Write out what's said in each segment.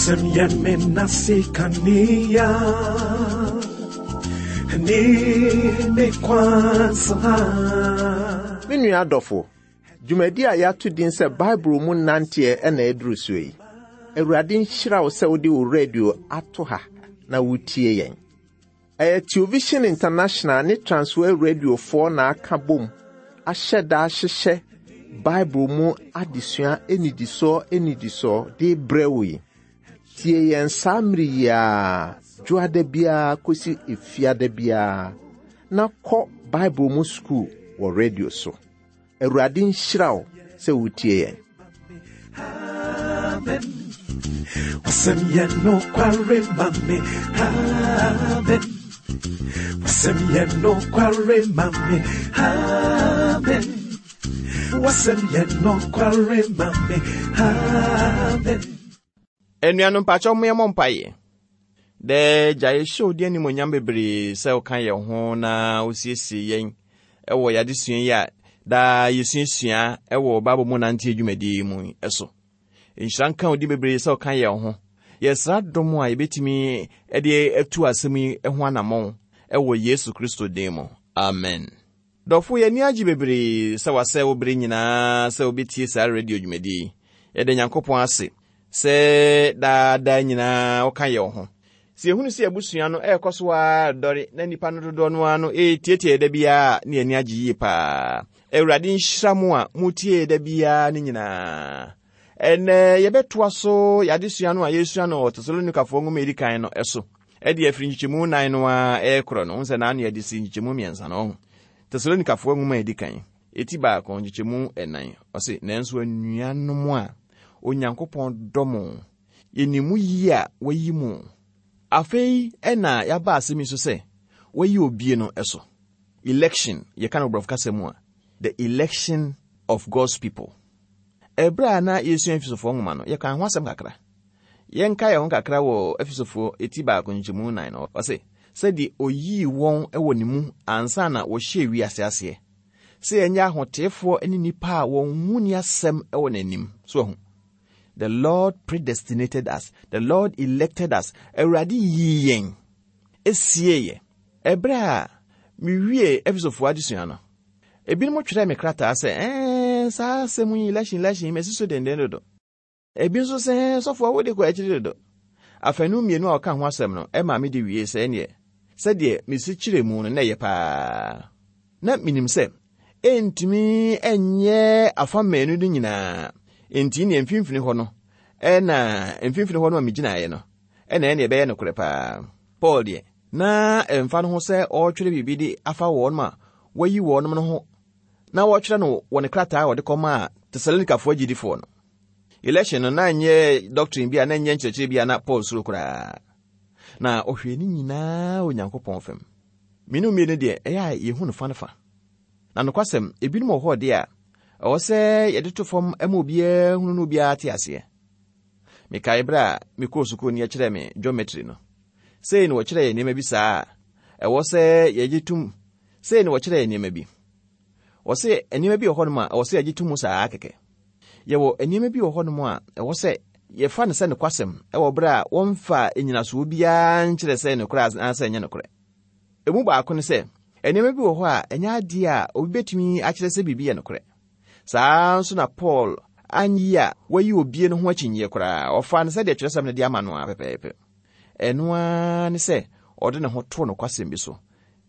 Wasɛm yɛ me nase kanea ne me kwan so ha. Me nua adɔfo, dwumadi a yɛato din sɛ Bible mu nanteɛ na ɛduru so yi. Awurade nhyira wo sɛ wode wo radio ato ha na wotie yɛn. Ɛyɛ Television International ne Transworld Radiofoɔ na aka bom ahyɛ da ahyehyɛ Bible mu adesua nnidisoɔ nnidisoɔ de brɛ wo yi. Tie yɛn saa mmere yi ara, dwoada biara kɔsi efiada biara, na kɔ Bible mu sukuu wɔ radio so. Awurade nhyira wo sɛ wotie yɛn. Amen. Wasɛm yɛ nokware ma me. Amen. Wasɛm yɛ nokware ma me. Amen. Wasɛm yɛ nokware ma me. Amen. Anuanom mpakyɛw mo yɛmmɔ mpaeɛ. Dɛ gya yɛhyɛ wo din animuonyam bebree sɛ woka yɛn ho na wosiesie yɛn wɔ yɛn adesua yi a daa yɛsuasua wɔ Bible mu nanteɛ dwumadie yi mu so. Nhyira nka wo din bebree sɛ woka yɛn ho. Yɛsrɛ adom a yɛbɛtumi de atu asɛm yi ho anammɔn wɔ Yesu Kristo din mu. Amen. Dɔfo, yɛn ani agye bebree sɛ wasɛe wo bere nyinaa sɛ wobetie saa radio dwumadi yi. Yɛda Nyankopɔn ase sɛ daa daa nyinaa woka yɛn ho. Sɛ yɛhunu sɛ abusua no ɛrekɔ so ara redɔre na nnipa no dodoɔ no ara no retietie da biara a, na yɛn ani agye yie paa. Awurade nhyira mo a motie da biara no nyinaa. Ɛnnɛ yɛbɛtoa so yɛn adesua no a yɛresua no wɔ Tesalonikafoɔ nwoma a ɛdi kan no so. Ɛde afiri nkyekyɛmu nan no ara ɛrekorɔ no, wohu sɛ n'ano yɛde si nkyekyɛmu mmiɛnsa no, ɔho. Tesalonikafoɔ nwoma a ɛdi kan, ɛti baako, nkyekyɛmu ɛnan, ɔse, Nanso anuanom a Onyankopɔn dɔ mo, yɛnim mo yie a wayi mo. Afei ɛna yɛaba asɛm yi so sɛ, wayi obie no so. Election, yɛka no borɔfo kasa mu a, the election of God's people. Ɛberɛ a na yɛresua Efesofoɔ nwoma no, yɛkaa ho asɛm kakra. Yɛnka yɛn ho kakra wɔ Efesofoɔ eti baako nkyɛmu nan no, ɔse, Sɛdeɛ ɔyii wɔn wɔ ne mu ansa na wɔhyɛɛ wiase aseɛ, sɛ yɛnyɛ ahoteefoɔ ne nnipa a wɔn ho nni asɛm wɔ n'anim. So ahu? The Lord predestinated us. The Lord elected us. Awurade yii yɛn, esiee yɛn. Ɛberɛ a mewie Efesofoɔ adesua no, ebinom twerɛɛ me krataa sɛ, ɛɛ, saa asɛm yi, election, election, masi so denden dodo. Ebi nso sɛ, sɔfoɔ wode kɔ akyiri dodo. Afanu mmienu a ɔka ho asɛm no, ɛmaa mede wiee sɛ ɛneɛ, sɛdeɛ mesi kyerɛ mu no na ɛyɛ paa. Na menim sɛ ɛntumi nyɛ afa mmienu no nyinaa, enti neɛ mfimfini hɔ no, ɛna mfimfini hɔ no a megyinaeɛ no, ɛna ɛne ɛbɛyɛ nokorɛ paa. Paul deɛ, na ɛmfa no ho sɛ ɔretwerɛ biribi de afa wɔn a wɔayi wɔn no ho na wɔretwerɛ no wɔ ne krataa a ɔde kɔmaa Tesalonikafoɔ agyidifoɔ no. Election no na nyɛ doctrine bi a na nyɛ nkyerɛkyerɛ bi a na Paul suro koraa. Na ɔhwɛɛ ne nyinaa Onyankopɔn fam. Mmienu mmienu deɛ ɛyɛ a yɛhu no fa no fa. Na nokwasɛm, ebinom wɔ hɔ deɛ a ɛwɔ sɛ yɛde to fam ma obiara hunu na obiara te aseɛ. Mekae berɛ a mekɔɔ sukuu no yɛkyerɛɛ me geometry no. Sei na wɔkyerɛɛ yɛn nneɛma bi saa a ɛwɔ sɛ yɛgye tom. Sei na wɔkyerɛɛ yɛn nneɛma bi. Wɔse nneɛma bi wɔ hɔnom a ɛwɔ sɛ yɛgye to mu saa kɛkɛ. Yɛwɔ nneɛma bi wɔ hɔnom a ɛwɔ sɛ yɛfa no sɛ nokwasɛm wɔ bere a wɔmfaa nnyinasoɔ biara nkyerɛ sɛ nokorɛ anaasɛ ɛnyɛ nokorɛ. Emu baako ne sɛ, nneɛma bi wɔ hɔ a ɛnyɛ adeɛ a obi bɛtumi akyerɛ sɛ biribi yɛ nokorɛ. Saa ara nso na Paul anyi a wayi obie no ho akyinnyeɛ koraa. Ɔfaa no sɛdeɛ twerɛsɛm no de ama no ara pɛpɛɛpɛ. Ɛno ara ne sɛ ɔde ne ho too nokwasɛm bi so.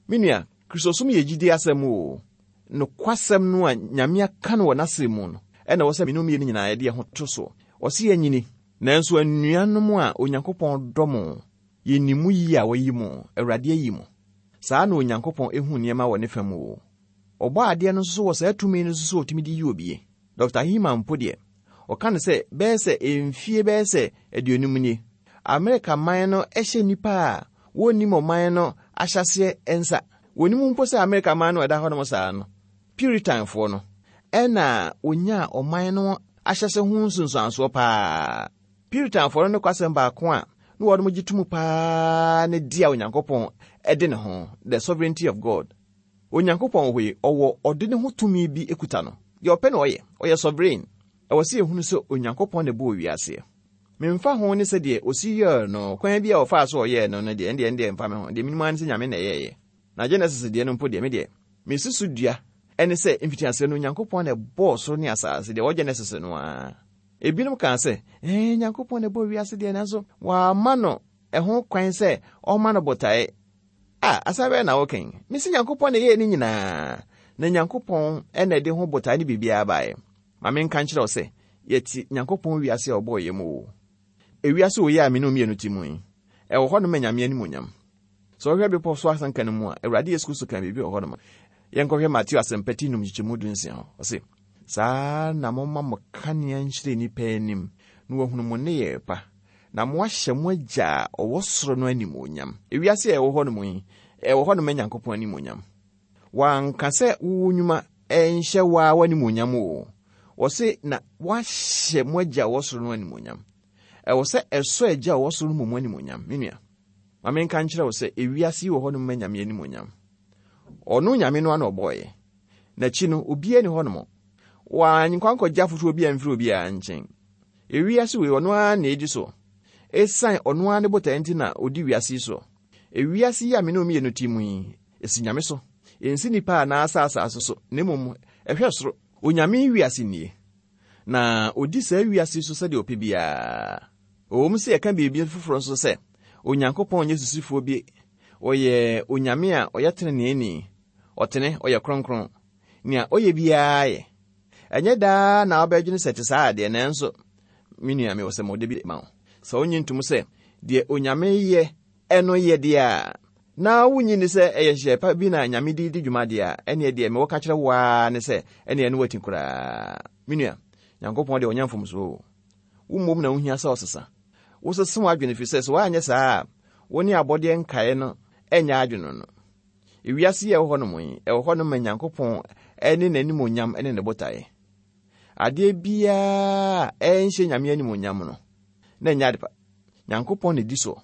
Me nua, Kristosom yɛ gyidie asɛm oo. Nokwasɛm no a Nyame aka no wɔ N'asɛm mu no na ɛwɔ sɛ me ne wo mmienu nyinaa yɛde yɛn ho to soɔ. Ɔse yɛnyini. Nanso anuanom a Onyankopɔn dɔ mo, yɛnim mo yie a wayi mo, Awurade ayi mo. Saa na Onyankopɔn hu nneɛma wɔ ne fa mu oo. Ɔbɔadeɛ no nso wɔ saa tumi no nso sɛ ɔtumi de yi obie. Dɔkta Heman mpo deɛ, ɔka no sɛ bɛyɛ sɛ mfie bɛyɛ sɛ aduonum nie, Amerika man no hyɛ nnipa a wɔnnim ɔman no ahyɛaseɛ nsa. Wɔnnim mpo sɛ Amerika man no a ɛda hɔnom saa no, Puritanfoɔ no na wɔnyaa ɔman no ahyɛse ho nsunsuansoɔ paa. Puritanfoɔ no nokwasɛm baako a na wɔn gye to mu paa ne de a Onyankopɔn de ne ho, the sovereignty of God. Onyankopɔn wɔ hɔ yi, ɔwɔ ɔde ne ho tumi bi kuta no. Deɛ ɔpɛ na ɔyɛ. Ɔyɛ sovereign. Ɛwɔ sɛ yɛhunu sɛ Onyankopɔn na ɛbɔɔ wiaseɛ. Memfa ho ne sɛdeɛ ɔsi yɛɛ no, kwan bi a ɔfaa so ɔyɛɛ no no deɛ, ɛndeɛ ɛndeɛ mfa me ho. Deɛ menim ara ne sɛ Nyame na ɛyɛeɛ. Na Genesis deɛ no mpo deɛ, me deɛ, mesi so dua ɛne sɛ mfitiaseɛ no Onyankopɔn na ɛbɔɔ soro ne asase, deɛ ɛwɔ Genesis no ara. Ebinom kaa sɛ, ɛɛ, Nyankopɔn na ɛbɔɔ wiase deɛ, nanso wamma no ɛho kwan sɛ ɔmma no botae. A, asɛm bɛn na woka yi? Mese Nyankopɔn na ɛyɛɛ ne nyinaa, na Nyankopɔn na ɛde ho botae ne biribiara baeɛ. Ma menka nkyerɛ wo sɛ, yɛte Nyankopɔn wiase a ɔbɔɔ yɛn mu o. Ewiase wei a me ne wo mmienu te mu yi, ɛwɔ hɔnom ma Nyame animuonyam. Sɛ wohwɛ Bepɔ so Asɛnka no mu a, Awurade Yesu Kristo kaa biribi wɔ hɔnom. Yɛnkɔhwɛ Mateo Asɛmpa ti num nkyekyɛmu dunsia hɔ. Ɔse, Saa ara na momma mo kanea nhyerɛn nnipa anim, na wɔahunu mo nneyɛe pa, na moahyɛ mo Agya a ɔwɔ soro no animuonyam. Ewiase a ɛwɔ hɔnom yi, ɛwɔ hɔnom ma Nyankopɔn animuonyam. Wanka sɛ wo nnwuma nhyɛ wo ara w'animuonyam o. Ɔse na woahyɛ mo Agya a ɔwɔ soro no animuonyam. Ɛwɔ sɛ ɛsɔ Agya a ɔwɔ soro no mmom animuonyam. Me nua, ma menka nkyerɛ wo sɛ ewiase yi wɔ hɔnom ma Nyame animuonyam. Ɔno Nyame no ara na ɔbɔeɛ. N'akyi no, obiara nni hɔnom. Wankɔ ankɔgye afotuo biara amfiri obiara nkyɛn. Ewiase wei, ɔno ara na edi so. Esiane ɔno ara ne botae nti na odi wiase yi so. Ewiase yi a me ne wo mmienu te mu yi, esi Nyame so. Ensi nnipa anaasɛ asase so, na mmom ɛhwɛ soro. Onyame wiase nie, na odi saa wiase yi so sɛdeɛ ɔpɛ biara. Ɛwom sɛ yɛka biribi foforɔ nso sɛ, Onyankopɔn nyɛ sisifoɔ bi, ɔyɛ Onyame a ɔyɛ teneneeni, ɔtene, ɔyɛ kronkron. Nea ɔyɛ biara yɛ. Ɛnyɛ daa na wobɛdwene sɛ ɛte saa deɛ, nanso me nua, mewɔ sɛmɔdɛ bi ma wo. Sɛ wonnye ntom sɛ deɛ Onyame yɛ no yɛ deɛ a, na wonnye nni sɛ ɛyɛ nhyehyɛe pa bi na Nyame de redi dwuma deɛ a, ɛnneɛ deɛ mewɔ ka kyerɛ wo ara ne sɛ, ɛnneɛ ɛno wati koraa. Me nua, Nyankopɔn deɛ ɔnyɛ mfomsoɔ o. Wo mmom na wohia sɛ ɔsesa. Wosesa w'adwene ɛfiri sɛ, sɛ woanyɛ saa a, wo ne abɔdeɛ nkaeɛ no nyɛ adwene no. Ewiase yi a ɛwɔ hɔnom yi, ɛwɔ hɔnom ma Nyankopɔn ne n'animuonyam ne ne botaeɛ. Adeɛ biara a ɛnhyɛ Nyame animuonyam no, na ɛnyɛ adepa. Nyankopɔn na ɛdi soɔ.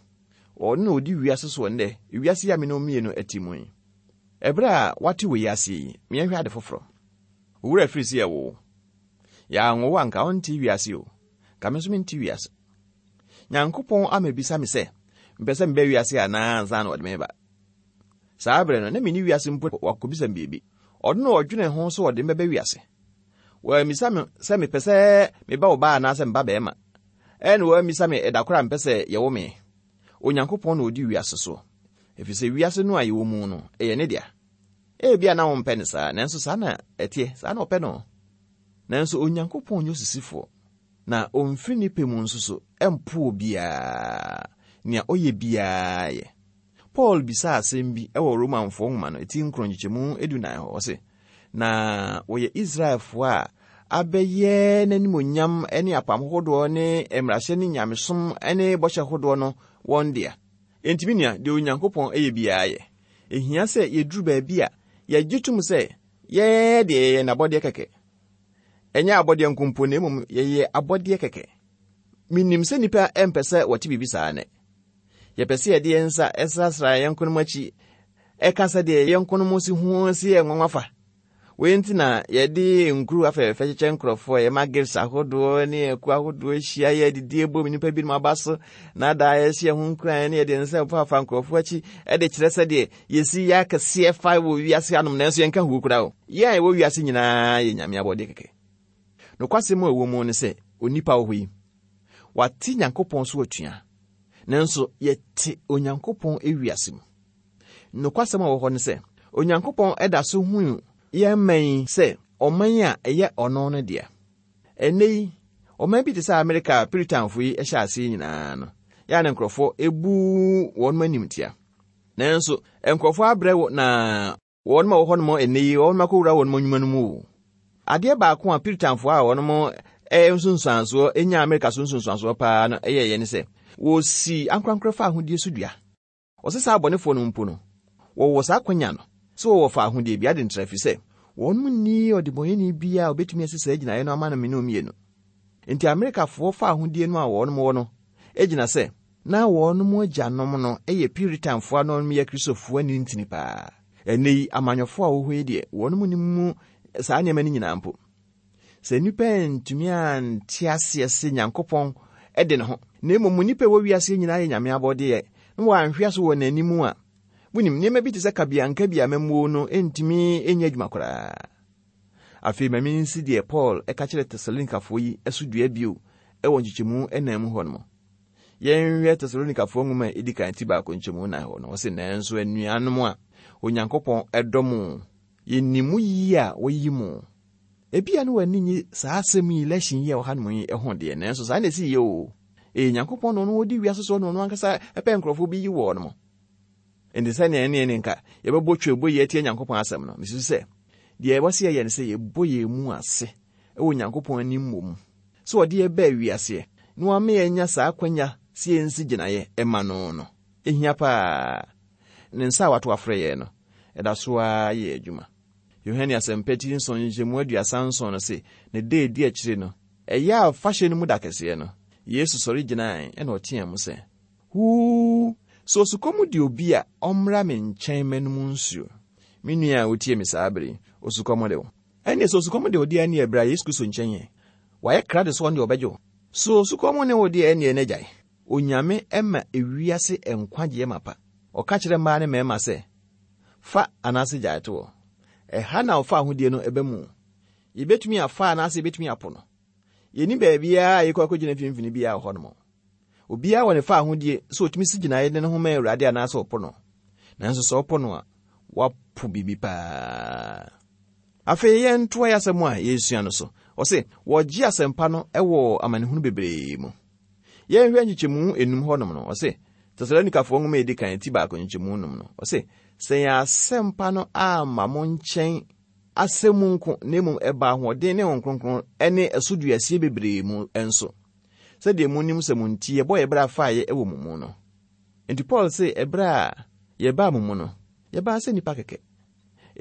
Ɔno na ɔdi wiase soɔ nnɛ, ewiase yi a me ne wo mmienu te mu yi. Ɛberɛ a woate wei aseɛ yi, ma yɛnhwɛ ade foforɔ. Wo werɛ afiri sɛ yɛwoo wo. Yɛanwo wo a, nka wonte wiase o. Nka me nso mente wiase. Nyankopɔn amɛbisa me sɛ, mepɛ sɛ meba wiase anaa ansa na ɔde me ba. Saa bere no, na minni wiase mpo wakobisa me biribi. Ɔno na ɔdwenee ho sɛ ɔde me bɛba wiase. Wammisa me sɛ mepɛ sɛ meba ɔbaa anaasɛ meba barima. Ɛnna wammisa me ɛda koro a mepɛ sɛ yɛwo me. Onyankopɔn na odi wiase so, efisɛ wiase no a yɛwɔ mu no, ɛyɛ ne dea. Ebia na wompɛ no saa, nanso saa na ɛteɛ, saa na ɔpɛ no. Nanso Onyankopɔn nyɛ osisifoɔ, na omfiri ne pɛ mu nso so mpo obiara. Nea ɔyɛ biara yɛ. Paul bisaa asɛm bi wɔ Romanfoɔ nwoma no ti nkron nkyekyɛmu dunan hɔ. Ɔse, Na wɔyɛ Israelfoɔ a abɛyɛ n'animuonyam ne apam hodoɔ ne mmarahyɛ ne nyamesom ne bɔhyɛ hodoɔ no wɔn dea. Enti me nua, deɛ Onyankopɔn yɛ biara yɛ. Ehia sɛ yɛduru baabi a yɛgye tom sɛ yɛn deɛ yɛyɛ n'abɔdeɛ kɛkɛ. Ɛnyɛ abɔdeɛ nko mpo na mmom yɛyɛ abɔdeɛ kɛkɛ. Menim sɛ nnipa mpɛ sɛ wɔte biribi saa nnɛ. Yɛpɛ sɛ yɛde yɛn nsa srasra yɛn yɔnkonom akyi ka sɛdeɛ yɛn yɔnkonom si ho si yɛ nwanwa fa. Wei nti na yɛde nkuru afɛɛfɛ kyekyɛ nkurɔfoɔ, yɛma gifts ahodoɔ ne akuo ahodoɔ hyia yɛ adidie bom nnipa binom aba so na daa yɛhyɛ yɛn ho nkuran ne yɛde nsa faafa nkurɔfoɔ akyi de kyerɛ sɛdeɛ yɛsi yɛ akɛseɛ fa wɔ wiase anom nanso yɛnka huo koraa o. Yɛn a yɛwɔ wiase nyinaa yɛ Nyame abɔdeɛ kɛkɛ. Nokwasɛm a ɛwɔ mu ne sɛ onipa wɔ hɔ yi, wate Nyankopɔn so atua. Nanso yɛte Onyankopɔn wiase mu. Nokwasɛm a ɛwɔ hɔ ne sɛ, Onyankopɔn da so hu yɛn man yi sɛ ɔman a ɛyɛ ɔno no dea. Ɛnnɛ yi, ɔman bi te sɛ Amerika a Puritanfo yi hyɛ ase nyinaa no, yɛ a na nkurɔfo bu wɔn animtia. Nanso, nkurɔfo abrɛ na Wɔn a wɔwɔ hɔnom nnɛ yi, wɔn akɔwura wɔn nnwuma no mu o. Adeɛ baako a Puritanfoɔ a wɔn nsunsuansoɔ nyaa Amerika so nsunsuansoɔ paa no yɛeɛ ne sɛ, wɔsii ankorankorɛ fa ahodie so dua. Wɔse saa abɔnefoɔ no mpo no, wɔwɔ saa akwanya no sɛ wɔwɔ fa ahodie bi ade ntra, ɛfiri sɛ wɔn nni ɔdebɔneyɛni biara a ɔbɛtumi asi saa gyinaeɛ no ama no mene mmienu. Enti Amerikafoɔ fa ahodie no a wɔn wɔ no gyina sɛ na wɔn agyanom no yɛ Puritanfoɔ a na wɔn yɛ Kristofoɔ ani ntini paa. Ɛnnɛ yi, amanyɔfoɔ a wɔwɔ hɔ yi deɛ, wɔn nim mu saa nneɛma no nyinaa mpo. Sɛ nnipa antumi ante aseɛ sɛ Nyankopɔn de ne ho, Na mmom nnipa a ɛwɔ wiase nyinaa yɛ Nyame abɔdeɛ, na wɔanhwe ase wɔ n'anim a, wonim, nneɛma bi te sɛ kabeankabi amammuo no ntumi nyɛ adwuma koraa. Afei ma minsi deɛ Paul ka kyerɛɛ Tesalonikafoɔ yi so dua bio wɔ nkyekyɛmu nnan mu hɔ nom. Yɛnhwɛ Tesalonikafoɔ nwoma a ɛdi kan ti baako nkyɛmu nnan hɔ no, ɔse, Nanso anuanom a Onyankopɔn dɔ mo, yɛnim mo yie a wɔayi mo. Ebia na w'ani nnye saa asɛm yi, lɛhyen yi a ɛwɔ hanom yi ho deɛ, nanso saa na ɛsi yɛ o. Ɛyɛ Nyankopɔn na ɔno ɔdi wiase soɔ na ɔno ankasa pɛ nkurɔfoɔ bi yi wɔn mo. Enti sɛnea ɛne ɛne nka yɛbɛbɔ twɛbɔ yi atia Nyankopɔn asɛm no, mesusu sɛ deɛ ɛwɔ sɛ yɛyɛ ne sɛ yɛbɔ yɛn mu ase wɔ Nyankopɔn anim mmom sɛ ɔde yɛn baa wiaseɛ na wama yɛanya saa akwanya sɛ yɛnsi gyinaeɛ ma no no. Ɛhia paa. Ne nsa a wato afrɛ yɛn no, ɛda so ara yɛ adwuma. Yohane Asɛmpa ti nson nkyɛmu 37 no se, ne da a ɛdi akyire no, ɛyɛ afahyɛ no mu da kɛseɛ no, Yesu sɔre gyinae na ɔteaa mu sɛ, Huu! Sɛ osukɔm de obi a, ɔmmra me nkyɛn mmɛnom nsuo. Me nua a wotie me saa bere yi, osukɔm de wo? Ɛnneɛ sɛ osukɔm de wo deɛ ɛnneɛ bra Yesu Kristo nkyɛn ɛ. Wayɛ krado sɛ ɔno deɛ ɔbɛgye wo. Sɛ osukɔm ne wo deɛ ɛnneɛ na gyae. Onyame ma ewiase nkwagyeɛ mapa. Ɔka kyerɛ mmaa ne mmarima sɛ, Fa anaase gyae to hɔ. Ɛha na ɔfa ahodie no ba mu. Yɛbɛtumi afa anaase yɛbɛtumi apo no. Yɛnni baabiara a yɛkɔ akɔgyina mfimfini biara wɔ hɔnom. Obiara wɔ ne fawohodie sɛ ɔtumi si gyinaeɛ de ne ho ma Awurade anaasɛ ɔpo no. Nanso sɛ ɔpo no a, wapo biribi paa. Afei yɛntoa yɛn asɛm a yɛresua no so. Ɔse, wɔgye asɛmpa no wɔ amanehunu bebree mu. Yɛnhwɛ nkyekyɛmu enum hɔnom no, ɔse, Tesalonikafoɔ nwoma a ɛdi kan ti baako nkyekyɛmu enum no, ɔse, sɛ yɛn asɛmpa no amma mo nkyɛn asɛm mu nko, na mmom ɛbaa ahoɔden ne Honhom Kronkron ne ɛso duasie bebree mu nso. Sɛdeɛ monim sɛ mo nti yɛbɔɔ yɛn bra faeɛ wɔ mo mu no. Enti Paul se ɛberɛ a yɛbaa mo mu no, yɛbaa sɛ nnipa kɛkɛ,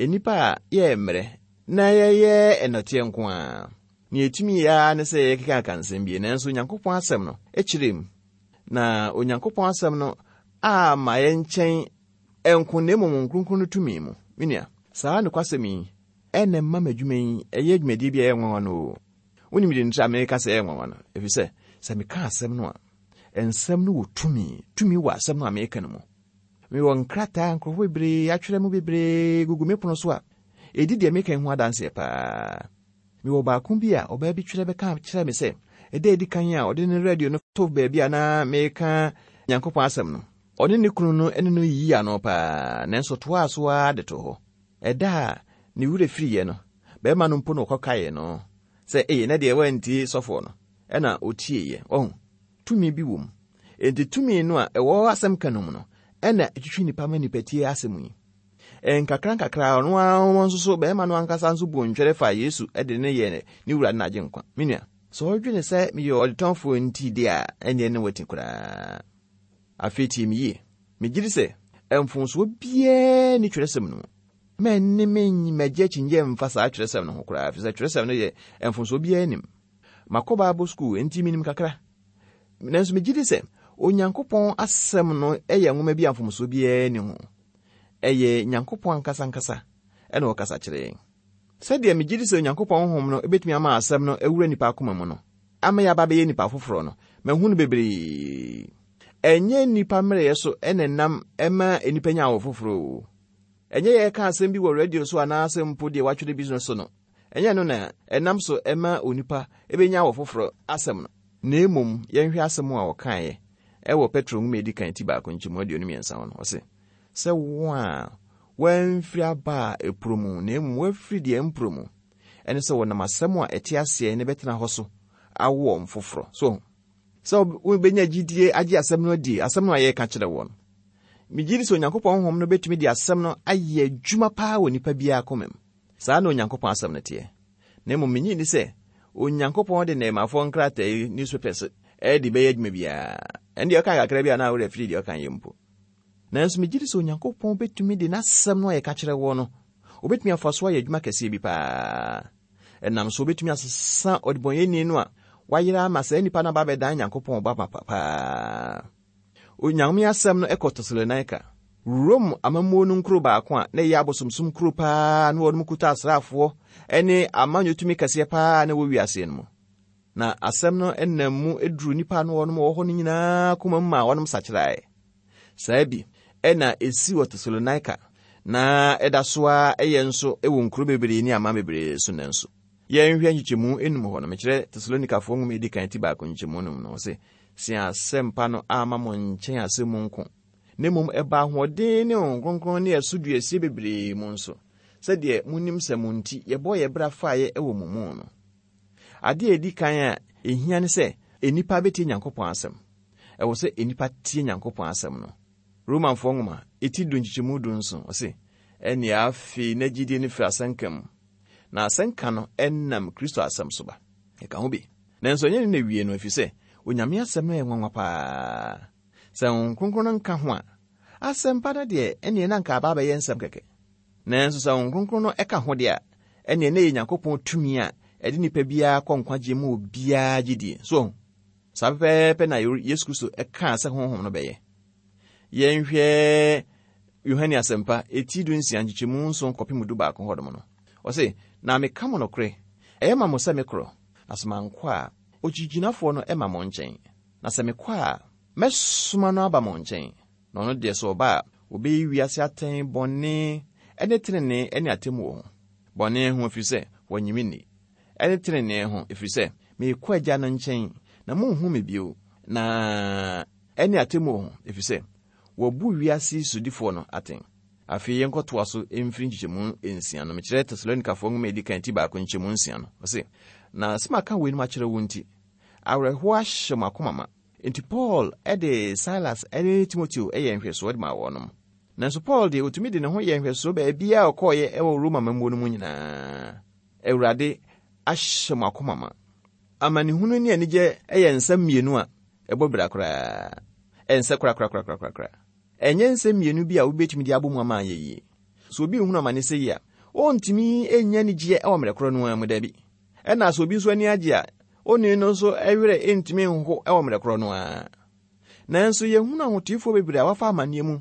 nnipa a yɛyɛ mmerɛ na yɛyɛ nnɔteɛ nko ara. Nea yɛtumi yɛ ara ne sɛ yɛkekaka nsɛm bi, nanso Onyankopɔn asɛm no kyerɛ mu. Na Onyankopɔn asɛm no amma yɛn nkyɛn nko na mmom Honhom Kronkron no tumi mu. Me nua, saa nokwasɛm yi na ɛma m'adwuma yi yɛ dwumadie bi a ɛyɛ nwanwa no o. Wonim deɛ nti a meka sɛ ɛyɛ nwanwa no? Ɛfiri sɛ, sɛ meka asɛm no a, nsɛm no wɔ tumi. Tumi wɔ asɛm no a meka no mu. Mewɔ nkrataa nkurɔfoɔ bebree atwerɛ mu bebree gugu me pono so a ɛdi deɛ meka yi ho adanseɛ paa. Mewɔ baako bi a ɔbaa bi twerɛ bɛka kyerɛ me sɛ ɛda edi kan a ɔde ne radio no to baabi a na meka Nyankopɔn asɛm no, ɔne ne kunu no ne no yiyii ano paa, nanso ɔtoaa so ara de too hɔ. Ɛda a ne werɛ firiiɛ no, barima no mpo na ɔkɔkaee no sɛ, Ei, ɛnnɛ deɛ woantie sɔfoɔ no. Ɛnna ɔtieeɛ. Wahu? Tumi bi wɔ mu. Enti tumi no a ɛwɔ asɛm ka no mu no, ɛna ɛtwitwi nnipa ma nnipa tie asɛm yi. Nkakrankakra, ɔno ara nso so, barima no ankasa nso buu ntwɛre faa Yesu de no yɛɛ ne wura ne n'agyenkwa. Me nua, sɛ wodwene sɛ meyɛ ɔdetɔnfoɔ nti deɛ a, ɛnneɛ ne woati koraa. Afei tie me yie. Megye di sɛ mfomsoɔ biara nni twerɛsɛm no mu. Mɛnne me mmɛgye akyinnyeɛ mfa saa twerɛsɛm no ho koraa, ɛfiri sɛ twerɛsɛm no yɛ mfomsoɔ biara nnim. Makɔ Bible sukuu, enti menim kakra. Nanso megye di sɛ Onyankopɔn asɛm no yɛ nwoma bi a mfomsoɔ biara nni ho. Ɛyɛ Nyankopɔn ankasa ankasa na ɔkasa kyerɛ yɛn. Sɛdeɛ megye di sɛ Onyankopɔn honhom no bɛtumi ama asɛm no awura nnipa akoma mu no, ama yɛaba abɛyɛ nnipa foforɔ no, mahu no bebree. Ɛnyɛ nnipa mmerɛyɛ so na ɛnam ma nnipa nya awo foforɔ o. Ɛnyɛ yɛreka asɛm bi wɔ radio so anaasɛ mpo deɛ wɔatwerɛ bi no so no, ɛnyɛ ɛno na ɛnam so ma onipa bɛnya awo foforɔ asɛm no. Na mmom yɛnhwɛ asɛm a ɔkaeɛ wɔ Petro nwoma a ɛdi kan ti baako nkyɛmu 23 ho no, ɔse, Sɛ wɔn a wɔamfiri aba a ɛporɔ mu, na mmom wɔafiri deɛ ɛmporɔ mu, ɛne sɛ wɔnam asɛm a ɛte aseɛ na ɛbɛtena hɔ so awo wɔn foforɔ. So ho? Sɛ wobɛnya gyidie agye asɛm no adie, asɛm no a yɛreka kyerɛ wɔn. Megye di sɛ Onyankopɔn honhom no bɛtumi de asɛm no ayɛ adwuma paa wɔ nipa biara koma mu. Saa na Onyankopɔn asɛm no teɛ. Na mmom minnye nni sɛ Onyankopɔn de nnɛɛmafoɔ nkrataa yi, newspapers, de bɛyɛ adwuma biara. Ɛno deɛ ɔka kakra bi a na werɛ afiri deɛ ɔka yɛ mpo. Nanso megye di sɛ Onyankopɔn bɛtumi de n'asɛm no a yɛka kyerɛ woɔ no, ɔbɛtumi afa so ayɛ adwuma kɛseɛ bi paa. Ɛnam so ɔbɛtumi asesa ɔdebɔnyɛni no a wayera ama saa nipa no aba abɛdan Nyankopɔn ba mapa paa. Onyame asɛm no kɔ Tesalonika, Rome amammuo no nkuro baako a na ɛyɛ abosomsom kuro paa na wɔn kuta asraafoɔ ne amanyɔ tumi kɛseɛ paa na ɛwɔ wiaseɛ no mu. Na asɛm no nam mu duruu nnipa a na wɔnom wɔ hɔ no nyinaa koma mu maa wɔnom sakyerae. Saa bi na esi wɔ Tesalonika, na ɛda so ara yɛ nso wɔ nkuro bebree ne aman bebree so nnɛ nso. Yɛnhwɛ nkyekyɛmu enum hɔ no, mekyerɛ Tesalonikafoɔ nwoma edi kan ti baako nkyekyɛmu enum no, ɔse, Se asɛmpa no amma mo nkyɛn asɛm mu nko, na mmom ɛbaa ahoɔden ne Honhom Kronkron ne ɛso duasie bebree mu nso, sɛdeɛ monim sɛ mo nti yɛbɔɔ yɛn bra faeɛ wɔ mo mu no. Ade a edi kan a ehia ne sɛ nnipa betie Nyankopɔn asɛm. Ɛwɔ sɛ nnipa tie Nyankopɔn asɛm no. Romanfoɔ nwoma, eti du nkyekyɛmu dunson, ɔse, Ɛnneɛ afei na gyidie no firi asɛnka mu, na asɛnka no nam Kristo asɛm so ba. Ɛka ho bi. Nanso ɛnyɛ ne na ewie no, efisɛ Onyame asɛm no yɛ nwanwa paa. Sɛ Honhom Kronkron no nka ho a, asɛmpa no deɛ ɛnneɛ na anka aba abɛyɛ nsɛm kɛkɛ. Nanso sɛ Honhom Kronkron no ka ho deɛ a, ɛnneɛ na ɛyɛ Nyankopɔn tumi a ɛde nipa biara kɔ nkwagyeɛ mu obiara gyidie. So wahu? Saa pɛpɛɛpɛ na Yesu Kristo kaa sɛ Honhom no bɛyɛ. Yɛnhwɛ Yohane Asɛmpa, eti dunsia nkyekyɛmu nson kɔpem dubaako hɔnom no. Ɔse, Na meka mo nokorɛ, ɛyɛ ma mo sɛ mekorɔ, na sɛ mankɔ a, Okyigyinafoɔ no mma mo nkyɛn, na sɛ mekɔ a, mɛsoma no aba mo nkyɛn. Na ɔno deɛ sɛ ɔba a, ɔbɛyi wiase atɛn bɔne ne tenenee ne atemmuo ho. Bɔne ho, ɛfiri sɛ wɔnnye me nni, ne tenenee ho, ɛfiri sɛ merekɔ Agya no nkyɛn, na monhu me bio, na ɛne atemmuo ho, ɛfiri sɛ wɔabu wiase yi sodifoɔ no atɛn. Afei yɛnkɔtoa so mfiri nkyekyɛmu nsia no. Mekyerɛ Tesalonikafoɔ nwoma a ɛdi kan ti baako nkyekyɛmu nsia no. Ɔse, Na sɛ maka weinom akyerɛ wo nti, awerɛhoɔ ahyɛ mo akoma ma. Enti Paul de Silas ne Timoteo yɛɛ nhwɛsoɔ de maa wɔnom. Nanso Paul deɛ, ɔtumi de ne ho yɛɛ nhwɛsoɔ baabiara a ɔkɔeɛ wɔ Roma amammuo no mu nyinaa. Awurade ahyɛ mo akoma ma. Amanehunu ne anigyeɛ yɛ nsɛm mmienu a ɛbɔ bira koraa. Ɛnsɛ korakorakorakorakora. Ɛnyɛ nsɛm mmienu bi a wobɛtumi de abɔ mu ama ayɛ yie. Sɛ obi rehunu amane sei a, ɔntumi nnya anigyeɛ wɔ mmerɛ korɔ no ara mu, dabi. Ɛna sɛ obi nso ani agye a, onii no nso werɛ ntumi nho wɔ mmerɛ korɔ no ara. Nanso yɛhunu ahoteefoɔ bebree a wɔafa amanneɛ mu,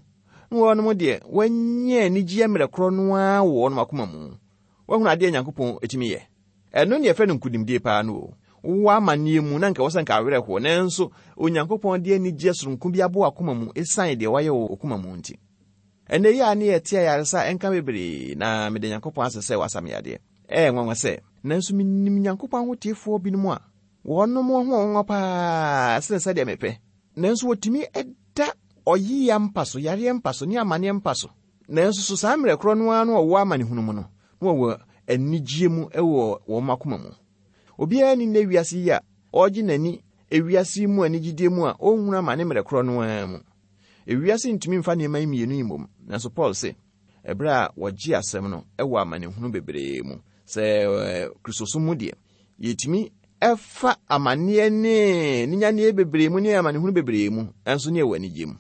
na wɔnom deɛ wɔanya anigyeɛ mmerɛ korɔ no ara wɔ wɔnom akoma mu. Woahunu adeɛ a Nyankopɔn tumi yɛ? Ɛno ne yɛfrɛ no nkonimdie paa no o. Wowɔ amanneɛ mu na nka ɛwɔ sɛ nka awerɛ hoɔ, nanso Onyankopɔn de anigyeɛ soronko bi abɔ w'akoma mu ɛsiane deɛ wayɛ wɔ w'akoma mu nti. Ɛnnɛ yi a ne yɛte ayaresa nka bebree, na meda Nyankopɔn ase sɛ wasa me yadeɛ. Ɛyɛ nwanwa sɛ, nanso menim Nyankopɔn ahoteefoɔ binom a wɔnom ho nwanwa paa sene sɛdeɛ mepɛ, nanso wɔtumi da ɔyea mpa so, yareɛ mpa so, ne amaneɛ mpa so. Nanso so saa mmerɛ korɔ no ara no wɔwɔ amanehunu mu no, na wɔwɔ anigyeɛ mu wɔ wɔn akoma mu. Obiara nni nnɛ wiase yi a ɔregye n'ani ewiase yi mu anigyedeɛ mu a ɔnhunu amane mmerɛ korɔ no ara mu. Ewiase ntumi mfa nneɛma yi mmienu yi mmom, nanso Paul se, Ɛberɛ a wɔgye asɛm no wɔ amanehunu bebree mu. Sɛ Kristosom mu deɛ, yɛtumi fa amanneɛ ne ninyaneɛ bebree mu ne amanehunu bebree mu, nso ne yɛwɔ anigyeɛ mu.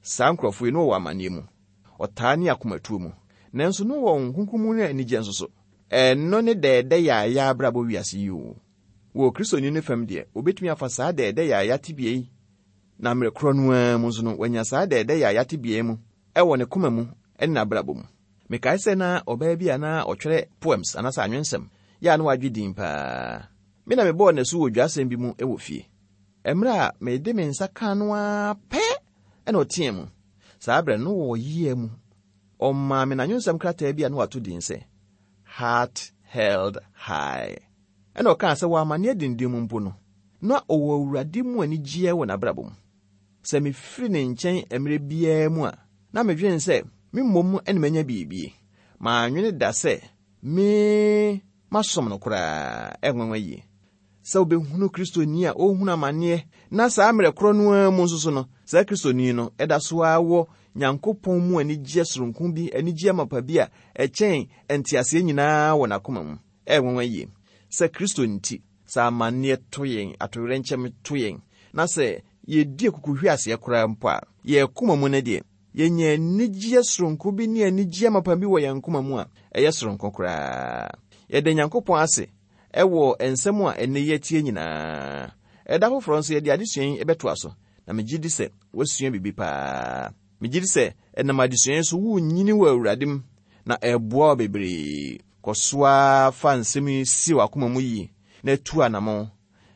Saa nkurɔfoɔ yi, na wɔwɔ amanneɛ mu, ɔtaa ne akomatuo mu, nanso na wɔwɔ Honhom Kronkron mu ne anigyeɛ nso so. Ɛno ne dɛɛdɛ yaaya abrabɔ wiase yi o. Wɔ Kristoni no fam deɛ, ɔbɛtumi afa saa dɛɛdɛ yaaya tebea yi, na mmerɛ korɔ no ara mu nso no, wanya saa dɛɛdɛ yaaya tebea yi mu wɔ ne koma mu ne n'abrabɔ mu. Mekae sɛ na ɔbaa bi a na ɔtwerɛ poems anaasɛ anwensɛm yɛ a na wadwe din paa. Me na mebɔɔ no asu wɔ dwasɛm bi mu wɔ fie. Mmerɛ a mede me nsa kaa no ara pɛ na ɔteaa mu. Saa berɛ no, na ɔwɔ yea mu. Ɔmaa me n'anwensɛm krataa bi a na wato din sɛ Heart Held High. Ɛna ɔkaa sɛ wɔ amanneɛ denden mu mpo no, na ɔwɔ Awurade mu anigyeɛ wɔ n'abrabɔ mu. Sɛ mefiri ne nkyɛn mmerɛ biara mu a, na medwene sɛ me mmom na manya biribi. Mannwene da sɛ me masom no koraa. Ɛyɛ nwanwa yie sɛ wobɛhunu Kristoni a ɔrehunu amanneɛ na saa mmerɛ korɔ no ara mu nso so no, saa Kristoni no da so ara wɔ Nyankopɔn mu anigyeɛ soronko bi, anigyeɛ mapa bi a ɛkyɛn nteaseɛ nyinaa wɔ n'akoma mu. Ɛyɛ nwanwa yie sɛ Kristo nti, sɛ amanneɛ to yɛn, atoyerɛnkyɛm to yɛn, na sɛ yɛdi akukuhweaseɛ koraa mpo a, yɛn koma mu no deɛ, yɛnya anigyeɛ soronko bi ne anigyeɛ mapa bi wɔ yɛn koma mu a ɛyɛ soronko koraa. Yɛda Nyankopɔn ase wɔ nsɛm a ɛnnɛ yi atie nyinaa. Ɛda foforɔ nso yɛde adesua yi bɛtoa so, na megye di sɛ woasua biribi paa. Megye di sɛ ɛnam adesua yi so worenyini wɔ Awurade mu, na ɛreboa wo bebree. Kɔ so ara fa nsɛm yi sie w'akoma mu yie na tu anammɔn.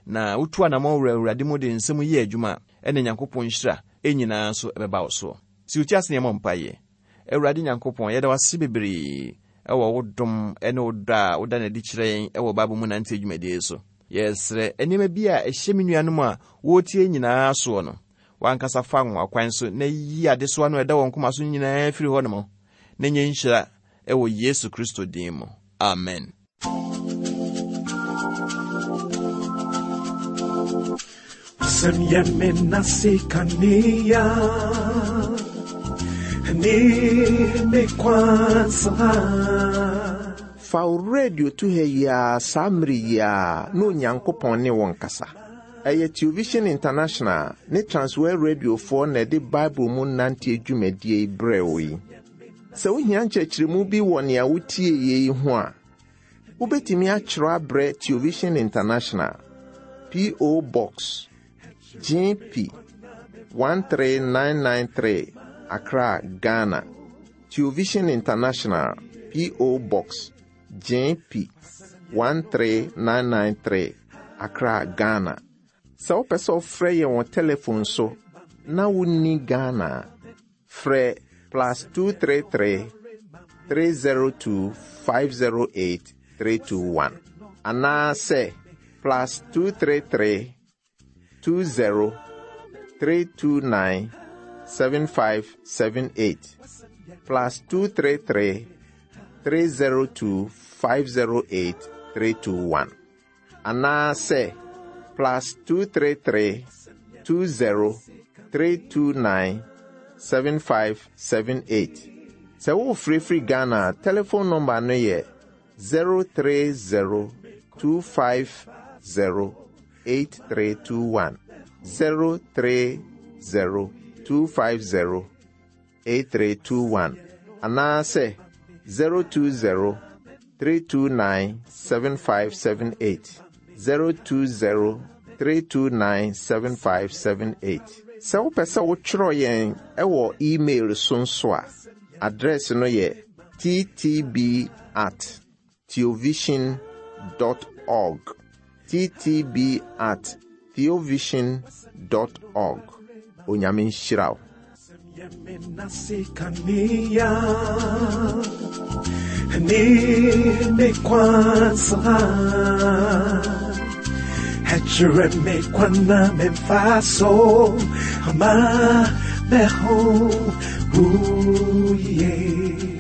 Na wotu anammɔn wura Awurade mu de nsɛm yi yɛ adwuma a, ɛnna Nyankopɔn nhyira nyinaa nso bɛba wo soɔ. Si wo ti ase na yɛmmɔ mpaeɛ. Awurade Nyankopɔn, yɛda wo ase bebree wɔ wo dom ne wo dɔ a woda no adi kyerɛ yɛn wɔ Bible mu nanteɛ dwumadie yi so. Yɛsrɛ nneɛma bi a ɛhyɛ me nuanom a wɔretie nyinaa soɔ no, w'ankasa fa anwanwakwan so na yi adesoa no a ɛda wɔn koma so nyinaa firi hɔ nom na nyɛ nhyira wɔ Yesu Kristo din mu. Amen. Wasɛm yɛ me nase kanea ne me kwan saa. Fa wo radio to ha yi ara saa mmere yi ara na Onyankopɔn ne wo nkasa. Ɛyɛ Television International ne Transworld Radiofoɔ na ɛde Bible mu nanteɛ dwumadie yi brɛɛ wo yi. Sɛ wohia nkyerɛkyerɛmu bi wɔ nea wotieeɛ yi ho a, wobɛtumi atwerɛ abrɛ Television International, P.O. Box, GP 13993, Accra, Ghana. Television International, P.O. Box, GP 13993, Accra, Ghana. Sɛ wopɛ sɛ wofrɛ yɛn wɔ telefon so na wonni Ghana a, frɛ plus 233 302 508 321 anaasɛ plus 233 20 329 7578 plus 233 302 508 321 anaasɛ plus 233 20 329 7578. Sɛ worefrɛfiri Ghana a, telefon nɔmba no yɛ 030 250 8321. 030 250 8321 anaasɛ 020 329 7578 020 329 7578. Sɛ wopɛ sɛ wotwerɛ yɛn wɔ email so nso a, address no yɛ ttb at theovision dot org ttb at theovision dot org. Onyame nhyira wo. Ama meho, ooh, yeah.